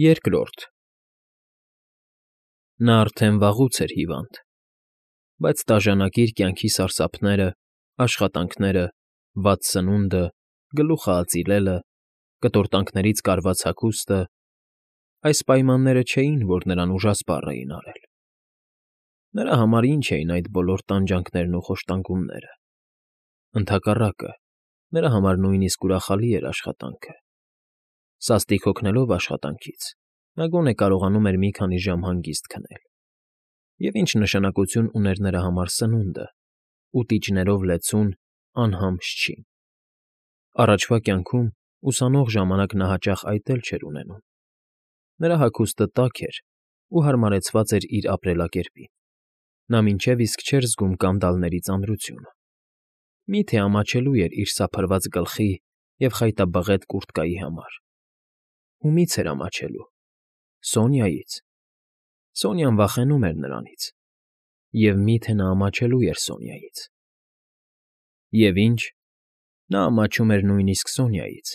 Երկրորդ Նա արդեն վաղուց էր հիվանդ, բայց տաժանակիր կյանքի սարսափները, աշխատանքները, վատ սնունդը, գլուխը ածիլելը, կտորտանքներից կարված հագուստը… այս պայմանները չէին, որ նրան ուժասպառ էին արել. նրա համար ինչ էին այդ բոլոր տանջանքներն ու խոշտանգումները… Ընդհակառակը, նրա համար նույնիսկ ուրախալի էր աշխատանքը. սաստիկ հոգնելով աշխատանքից, նա գոնե կարողանում էր մի քանի ժամ հանգիստ քնել… Եվ ինչ նշանակություն ուներ նրա համար սնունդը, ուտիչներով լեցուն, անհամբք չին… Առաջվա կյանքում, ուսանող ժամանակ նա հաճախ այդ էլ չէր ունենում. նրա հագուստը տաք էր ու հարմարեցված էր իր ապրելակերպին, նա մինչև իսկ չէր զգում կանդալների ծանրությունը… Մի՞թե ամաչելու էր իր սափրված գլխի և խայտաբղետ կուրտկայի համար… Ումի՞ց էր ամաչելու… Սոնյայից… Սոնյան վախենում էր նրանից… Եվ մի՞թե նա ամաչելու էր Սոնյայից… Եվ ինչ… նա ամաչում էր նույնիսկ Սոնյայից,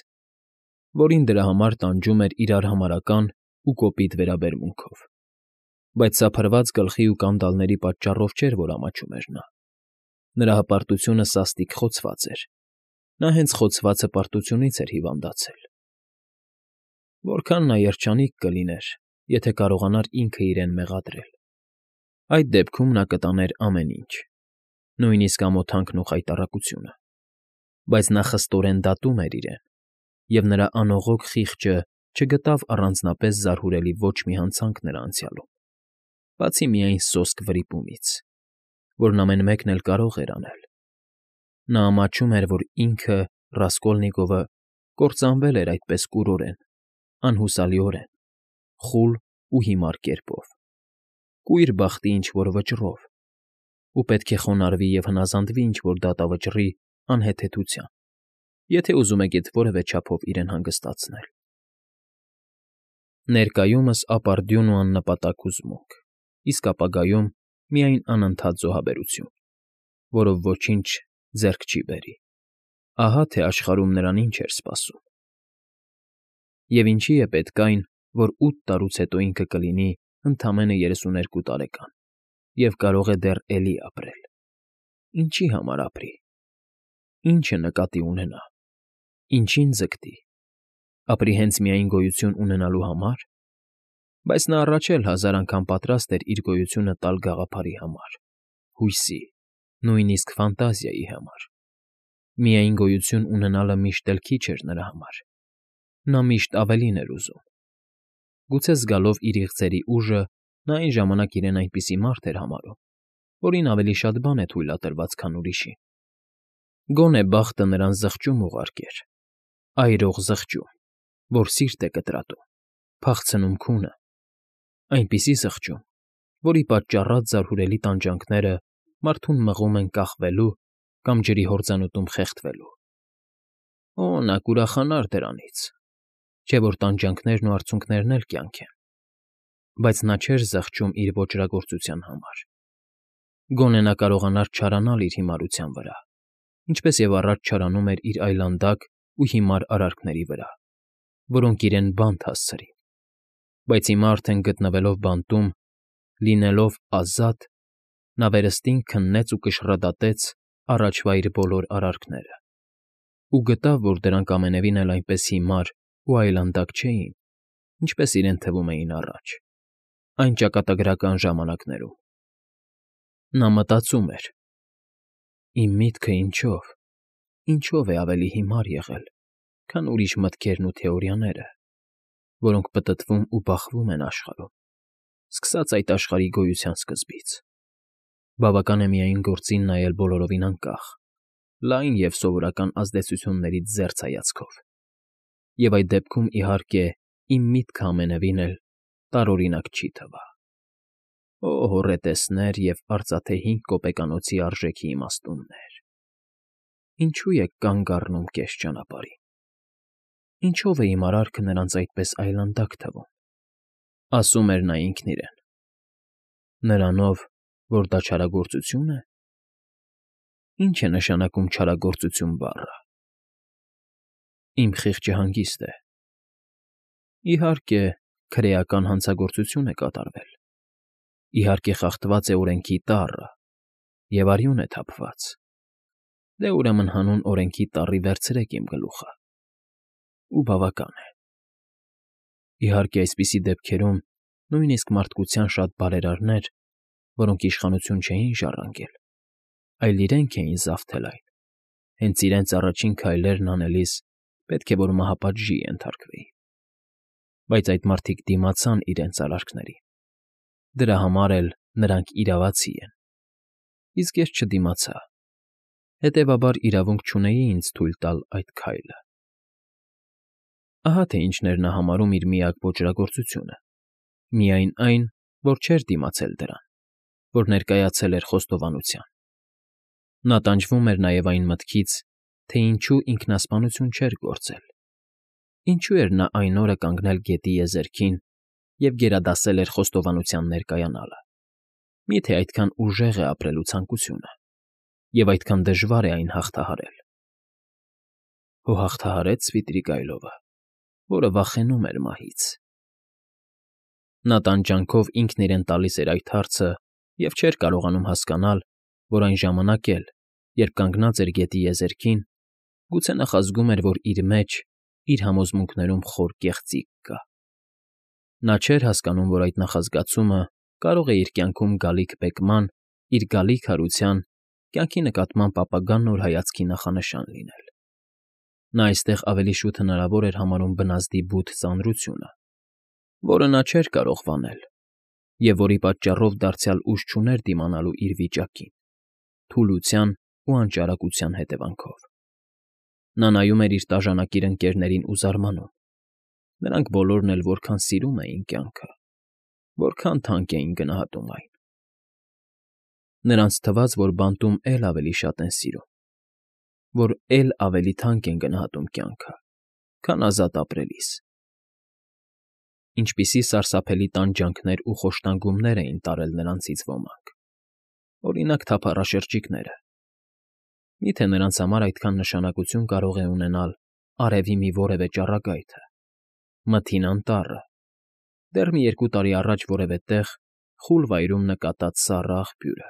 որին դրա համար տանջում էր իրար համարական ու կոպիտ վերաբերմունքով… Բայց սափրված գլխի ու կանդալների պատճառով չէր, որ ամաչում էր նա… Նրա հպարտությունը սաստիկ խոցված էր… Նա հենց խոցված հպարտությունից էր հիվանդացել… Որքան նա երջանիկ կլիներ, եթե կարողանար ինքը իրեն մեղադրել… Այդ դեպքում նա կտաներ ամեն ինչ, նույնիսկ ամոթանքն ու խայտառակությունը… Բայց նա խստորեն դատում էր իրեն, և նրա անողոք խիղճը չգտավ առանձնապես զարհուրելի ոչ մի հանցանք նրա անցյալում, բացի միայն սոսկ վրիպումից, որն ամեն մեկն էլ կարող էր անել… Նա ամաչում էր, որ ինքը՝ Ռասկոլնիկովը, կործանվել էր այդպես կուրորեն, անհուսալիորեն, խուլ ու հիմար կերպով, կույր բախտի ինչ֊որ վճռով, ու պետք է խոնարհվի և հնազանդվի ինչ֊որ դատավճռի անհեթեթության, եթե ուզում է գեթ որևէ չափով իրեն հանգստացնել… Ներկայումս ապարդյուն ու աննպատակ հուզմունք, իսկ ապագայում միայն անընդհատ զոհաբերություն, որով ոչինչ ձեռք չի բերի… Ահա թե աշխարհում նրան ինչ էր սպասում… Եվ ինչի է պետք այն, որ 8 տարուց հետո ինքը կլինի ընդամենը 32 տարեկան և կարող է դեռ էլի ապրել… Ինչի համար ապրի… Ի՞նչը նկատի ունենա… Ինչի՞ն ձգտի… Ապրի հենց միայն գոյություն ունենալու համար… Բայց նա առաջ էլ 1000 անգամ պատրաստ էր իր գոյությունը տալ գաղափարի համար, հույսի, նույնիսկ ֆանտազիայի համար… Միայն գոյություն ունենալը միշտ էլ քիչ էր նրա համար… Նա միշտ ավելին էր ուզում… Գուցե զգալով իր իղձերի ուժը, նա այն ժամանակ իրեն այնպիսի մարդ էր համարում, որին ավելի շատ բան է թույլատրված, քան ուրիշին… Գոնե բախտը նրան զղջում ուղարկեր, այրող զղջում, որ սիրտ է կտրատում, փախցնում քունը, այնպիսի զղջում, որի պատճառած զարհուրելի տանջանքները մարդուն մղում են կախվելու կամ ջրի հորձանուտում խեղդվելու… Օ՜, նա կուրախանար դրանից… Չէ որ տանջանքներն ու արցունքներն էլ կյանք են… Բայց նա չէր զղջում իր ոճրագործության համար… Գոնե նա կարողանար չարանալ իր հիմարության վրա, ինչպես և առաջ չարանում էր իր այլանդակ ու հիմար արարքների վրա, որոնք իրեն բանտ հասցրին… Բայց հիմա արդեն գտնվելով բանտում, լինելով ազատ, նա վերստին քննեց ու կշռադատեց առաջվա իր բոլոր արարքները… Ու գտավ, որ դրանք ամենևին էլ այնպես հիմար ու այլանդակ չէին, ինչպես իրեն թվում էին առաջ, այն ճակատագրական ժամանակներում… Նա մտածում էր. «Իմ միտքը ինչո՞վ է ավելի հիմար եղել, քան ուրիշ մտքերն ու թեորիաները, որոնք պտտվում ու բախվում են աշխարհում, սկսած այդ աշխարհի գոյության սկզբից… Բավական է միայն գործին նայել բոլորովին անկախ, լայն և սովորական ազդեցություններից զերծ հայացքով… Եվ այդ դեպքում, իհարկե, իմ միտքը ամենևին էլ տարօրինակ չի թվա… Օ հոռետեսներ և արծաթե 5 կոպեկանոցի արժեքի իմաստուններ… Ինչո՞ւ եք կանգ առնում կես ճանապարհին… Ինչո՞վ է իմ արարքը նրանց այդպես այլանդակ թվում… Ասում էր նա ինքն իրեն… Նրանով, որ դա չարագործություն է… Ի՞նչ է նշանակում չարագործություն բառը… Իմ խիղճը հանգիստ է… Իհարկե, քրեական հանցագործություն է կատարվել, իհարկե խախտված է օրենքի տառը և արյուն է թափված, դե ուրեմն հանուն օրենքի տառի վերցրեք իմ գլուխը, ու բավական է։ Իհարկե, այսպիսի դեպքերում նույնիսկ մարդկության շատ բարերարներ, որոնք իշխանություն չէին ժառանգել, այլ իրենք էին զավթել այն, հենց իրենց առաջին քայլերն անելիս պետք է որ մահապատժի ենթարկվեին։ Բայց այդ մարդիկ դիմացան իրենց արարքներին, դրա համար էլ նրանք իրավացի են, իսկ ես չդիմացա, հետևաբար իրավունք չունեի ինձ թույլ տալ այդ քայլը։ Ահա թե ինչն էր նա համարում իր միակ ոճրագործությունը, միայն այն, որ չէր դիմացել դրան, որ ներկայացել էր խոստովանության։ Նա տանջվում էր նաև այն մտքից, թե ինչու ինքնասպանություն չէր գործել, ինչու էր նա այն օրը կանգնել գետի եզերքին և գերադասել էր խոստովանության ներկայանալը։ Միթե այդքան ուժեղ է ապրելու ցանկությունը, և այդքան դժվար է այն հաղթահարել։ Հո հաղթահարեց Սվիտրիգ այլովը, որը վախենում էր մահից։ Նա տանջանքով ինքն իրեն տալիս էր այդ հարցը և չէր կարողանում հասկանալ, որ այն ժամանակ էլ, երբ կանգնած էր գետի եզերքին, գուցե նախազգում էր, որ իր մեջ, իր համոզմունքներում խոր կեղծիք կա։ Նա չէր հասկանում, որ այդ նախազգացումը կարող է իր կյանքում գալիք բեկման, իր գալիք հարության, կյանքի նկատմամբ ապագա նոր հայացքի նախանշան լինել։ Նա այստեղ ավելի շուտ հնարավոր էր համարում բնազդի բութ ծանրությունը, որը նա չէր կարող վանել, և որի պատճառով դարձյալ ուժ չուներ դիմանալու իր վիճակին, թուլության ու անճարակության հետևանքով։ Նա նայում էր իր տաժանակիր ընկերներին ու զարմանում. նրանք բոլորն էլ որքան սիրում էին կյանքը, որքան թանկ էին գնահատում այն։ Նրանց թվաց, որ բանտում էլ ավելի շատ են սիրում, որ էլ ավելի թանկ են գնահատում կյանքը, քան ազատ ապրելիս։ Ինչպիսի սարսափելի տանջանքներ ու խոշտանգումներ էին տարել նրանցից ոմանք, օրինակ թափառաշրջիկները։ Միթե նրանց համար այդքան նշանակություն կարող է ունենալ արևի մի որևէ ճառագայթը, մթին անտառը, դեռ մի 2 տարի առաջ որևէ տեղ խուլ վայրում նկատած սառը աղբյուրը,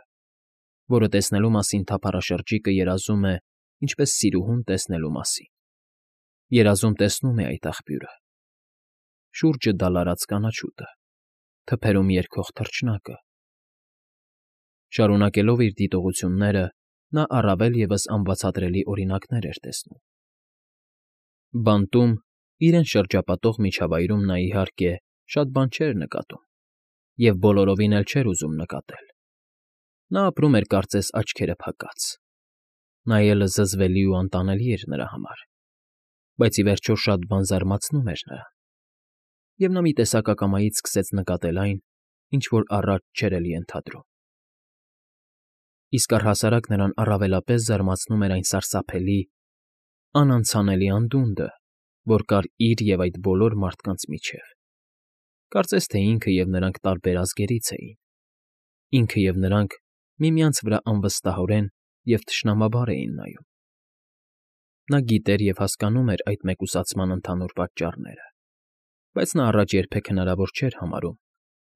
որը տեսնելու մասին թափառաշրջիկը երազում է ինչպես սիրուհուն տեսնելու մասին։ Երազում տեսնում է այդ աղբյուրը, շուրջը դալարած կանաչուտը, թփերում երգող թռչնակը։ Շարունակելով իր դիտողությունները, նա առավել ևս անբացատրելի օրինակներ էր տեսնում։ Բանտում, իրեն շրջապատող միջավայրում նա, իհարկե, շատ բան չէր նկատում և բոլորովին էլ չէր ուզում նկատել։ Նա ապրում էր կարծես աչքերը փակած։ Նայելը զզվելի ու անտանելի էր նրա համար, բայց ի վերջո շատ բան զարմացնում էր նրան, և նա մի տեսակ ակամայից սկսեց նկատել այն, ինչ որ առաջ չէր էլ ենթադրում։ Իսկ առհասարակ նրան առավելապես զարմացնում էր այն սարսափելի, անանցանելի անդունդը, որ կար իր և այդ բոլոր մարդկանց միջև։ Կարծես թե ինքը և նրանք տարբեր ազգերից էին, ինքը և նրանք միմյանց վրա անվստահորեն և թշնամաբար էին նայում։ Նա գիտեր և հասկանում էր այդ մեկուսացման ընդհանուր պատճառները, բայց նա առաջ երբեք հնարավոր չէր համարում,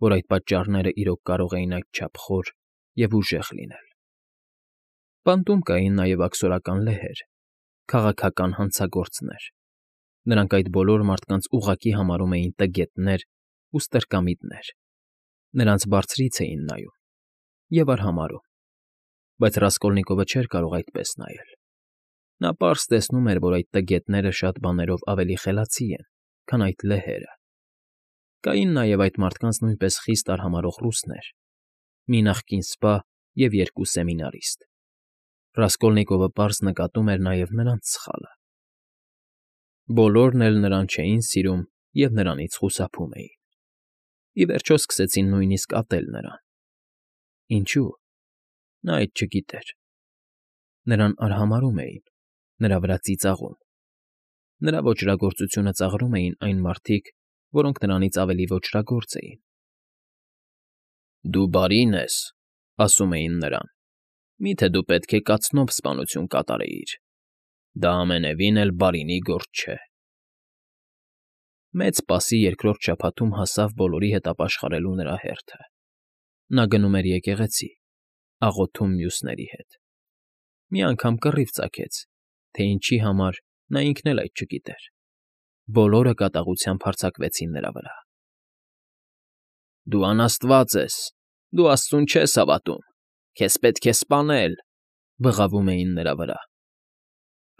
որ այդ պատճառները իրոք կարող էին այդչափ խոր և ուժեղ լինել։ Բանտում կային նաև աքսորական լեհեր, քաղաքական հանցագործներ։ Նրանք այդ բոլոր մարդկանց ուղղակի համարում էին տգետներ ու ստրկամիտներ, նրանց բարձրից էին նայում և արհամարհում, բայց Ռասկոլնիկովը չէր կարող այդպես նայել։ Նա պարզ տեսնում էր, որ այդ տգետները շատ բաներով ավելի խելացի են, քան այդ լեհերը։ Կային նաև այդ մարդկանց նույնպես խիստ արհամարհող ռուսներ, մի նախկին սպա և 2 սեմինարիստ։ Ռասկոլնիկովը պարզ նկատում էր նաև նրանց սխալը։ Բոլորն էլ նրան չէին սիրում և նրանից խուսափում էին։ Ի վերջո սկսեցին նույնիսկ ատել նրան։ Ինչո՞ւ։ Նա այդ չգիտեր։ Նրան արհամարհում էին, նրա վրա ծիծաղում։ Նրա ոճրագործությունը ծաղրում էին այն մարդիկ, որոնք նրանից ավելի ոճրագործ էին։ «Դու բարին ես,֊ ասում էին նրան,֊ միթե դու պետք է կացնով սպանություն կատարեիր. դա ամենևին էլ բարինի գործ չէ»։ Մեծ Սպասի երկրորդ շաբաթում հասավ բոլորի հետ ապաշխարելու նրա հերթը. նա գնում էր եկեղեցի, աղոթում մյուսների հետ։ Մի անգամ կռիվ ծագեց, թե ինչի համար նա ինքն էլ այդ չգիտեր։ Բոլորը կատաղությամբ հարձակվեցին նրա վրա։ «Դու անաստված ես, դու աստծուն չես հավատում, քեզ պետք է սպանել», բղավում էին նրա վրա։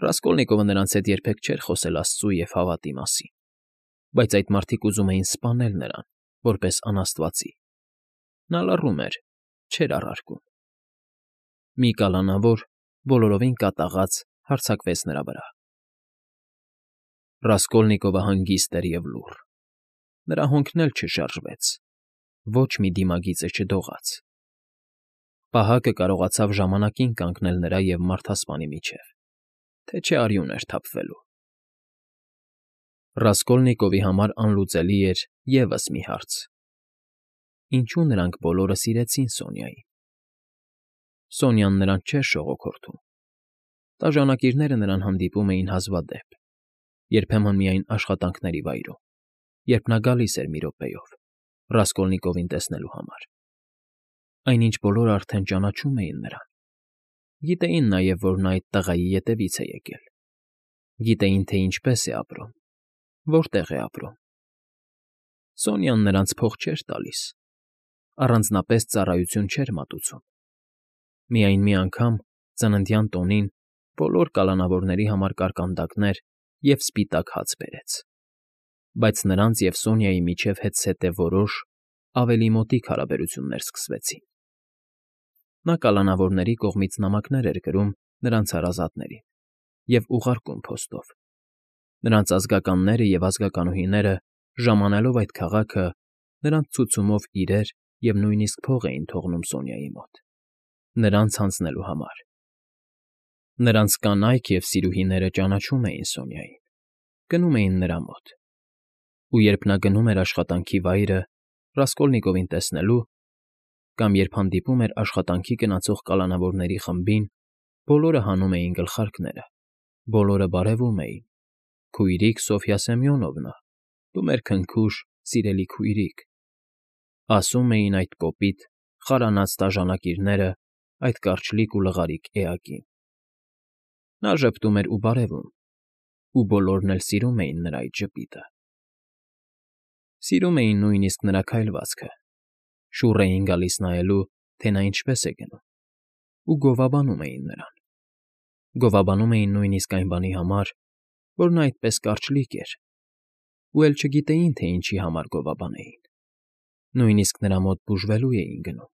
Ռասկոլնիկովը նրանց հետ երբեք չէր խոսել աստծու և հավատի մասին, բայց այդ մարդիկ ուզում էին սպանել նրան, որպես անաստվածի։ Նա լռում էր, չէր առարկում։ Մի կալանավոր, բոլորովին կատաղած, հարձակվեց նրա վրա։ Ռասկոլնիկովը հանգիստ էր և լուռ։ Նրա հոնքն էլ չշարժվեց, ոչ մի դիմագիծը չդողաց։ Պահակը կարողացավ ժամանակին կանգնել նրա և մարդասպանի միջև, թե չէ արյուն էր թափվելու։ Ռասկոլնիկովի համար անլուծելի էր ևս մի հարց. ինչու նրանք բոլորը սիրեցին Սոնյային։ Սոնյան նրանց չէր շողոքորթում։ Տաժանակիրները նրան հանդիպում էին հազվադեպ, երբեմն միայն աշխատանքների վայրում, երբ նա գալիս էր մի րոպեով, Ռասկոլնիկովին տեսնելու համար։ Այնինչ բոլորը արդեն ճանաչում էին նրան։ Գիտեին նաև, որ նա այդ տղայի ետևից է եկել։ Գիտեին, թե ինչպես է ապրում, որտեղ է ապրում։ Սոնյան նրանց փող չէր տալիս, առանձնապես ծառայություն չէր մատուցում։ Միայն մի անգամ, ծննդյան տոնին, բոլոր կալանավորների համար կարկանդակներ և սպիտակ հաց բերեց։ Բայց նրանց և Սոնյայի միջև հետզհետե որոշ, ավելի մոտիկ հարաբերություններ սկսվեցին։ Նա կալանավորների կողմից նամակներ էր գրում նրանց հարազատներին և ուղարկում փոստով։ Նրանց ազգականները և ազգականուհիները, ժամանելով այդ քաղաքը, նրանց ցուցումով իրեր և նույնիսկ փող էին թողնում Սոնյայի մոտ, նրանց հանձնելու համար։ Նրանց կանայք և սիրուհիները ճանաչում էին Սոնյային, գնում էին նրա մոտ։ Ու երբ նա գնում էր աշխատանքի վայրը Ռասկոլնիկովին տեսնելու, կամ երբ հանդիպում էր աշխատանքի գնացող կալանավորների խմբին, բոլորը հանում էին գլխարկները, բոլորը բարևում էին. «Քույրիկ Սոֆյա Սեմյոնովնա, դու մեր քնքուշ, սիրելի քույրիկ», ասում էին այդ կոպիտ, խարանաց տաժանակիրները այդ կարճլիկ ու լղարիկ էակին։ Նա ժպտում էր ու բարևում, ու բոլորն էլ սիրում էին նրա այդ ժպիտը։ Սիրում էին նույնիսկ նրա քայլվածքը, շուռ էին գալիս նայելու, թե նա ինչպես է գնում, ու գովաբանում էին նրան։ Գովաբանում էին նույնիսկ այն բանի համար, որ նա այդպես կարճլիկ էր, ու էլ չգիտեին, թե ինչի համար գովաբանեին։ Նույնիսկ նրա մոտ բուժվելու էին գնում։